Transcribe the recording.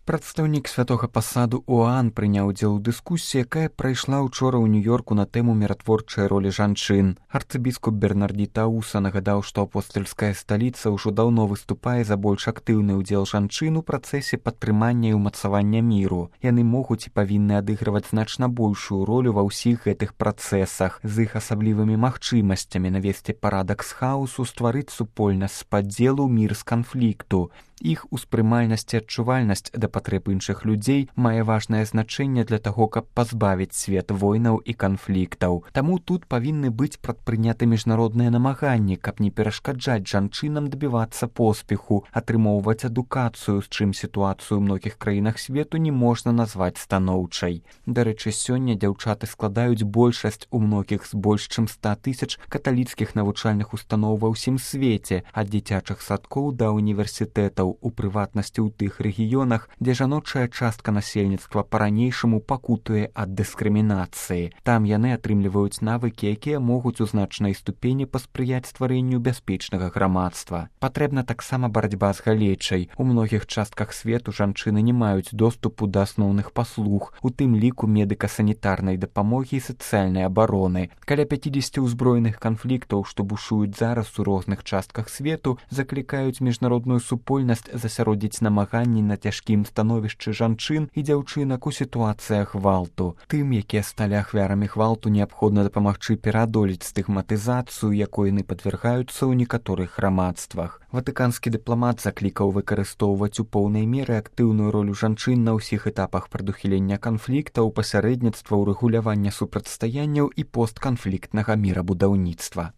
Прадстаўнік святога пасаду ОАН прыняў удзел у дыскусіі, якая прайшла ўчора ў Нью-Йорку на тэму міратворчай ролі жанчын. Арцыбіскуп Бернардзі Тауса нагадаў, што апостальская сталіца ўжо даўно выступае за больш актыўны ўдзел жанчын у працэсе падтрымання і ўмацавання міру. Яны могуць і павінны адыгрываць значна большую ролю ва ўсіх гэтых працэсах, з іх асаблівымі магчымасцямі навесці парадак з хаосу, стварыць супольнасць з падзелу, мір з канфлікту. Іх успрымальнасць і адчувальнасць да патрэб іншых людзей мае важнае значэнне для таго, каб пазбавіць свет войнаў і канфліктаў. Таму тут павінны быць прадпрыняты міжнародныя намаганні, каб не перашкаджаць жанчынам дабівацца поспеху, атрымоўваць адукацыю, з чым сітуацыю ў многіх краінах свету не можна назваць станоўчай. Дарэчы, сёння дзяўчаты складаюць большасць у многіх з больш чым 100 000 каталіцкіх навучальных устаноў ва ўсім свеце, ад дзіцячых садкоў да універсітэтаў, у прыватнасці ў тых рэгіёнах, дзе жаночая частка насельніцтва па-ранейшаму пакутуе ад дыскрымінацыі. Там яны атрымліваюць навыкі, якія могуць у значнай ступені паспрыяць стварэнню бяспечнага грамадства. Патрэбна таксама барацьба з галечай. У многіх частках свету жанчыны не маюць доступу да асноўных паслуг, у тым ліку медыка-санітарнай дапамогі і сацыяльнай абароны. Каля 50 ўзброеных канфліктаў, што бушуюць зараз у розных частках свету, заклікаюць міжнародную супольнасць засяродзіць намаганні на цяжкім становішчы жанчын і дзяўчынак у сітуацыях гвалту. Тым, якія сталі ахвярамі гвалту, неабходна дапамагчы пераадолець стыгматызацыю, якой яны падвяргаюцца ў некаторых грамадствах. Ватыканскі дыпламат заклікаў выкарыстоўваць у поўнай меры актыўную ролю жанчын на ўсіх этапах прадухілення канфліктаў, пасярэдніцтва, урэгулявання супрацьстаянняў і постканфліктнага мірабудаўніцтва.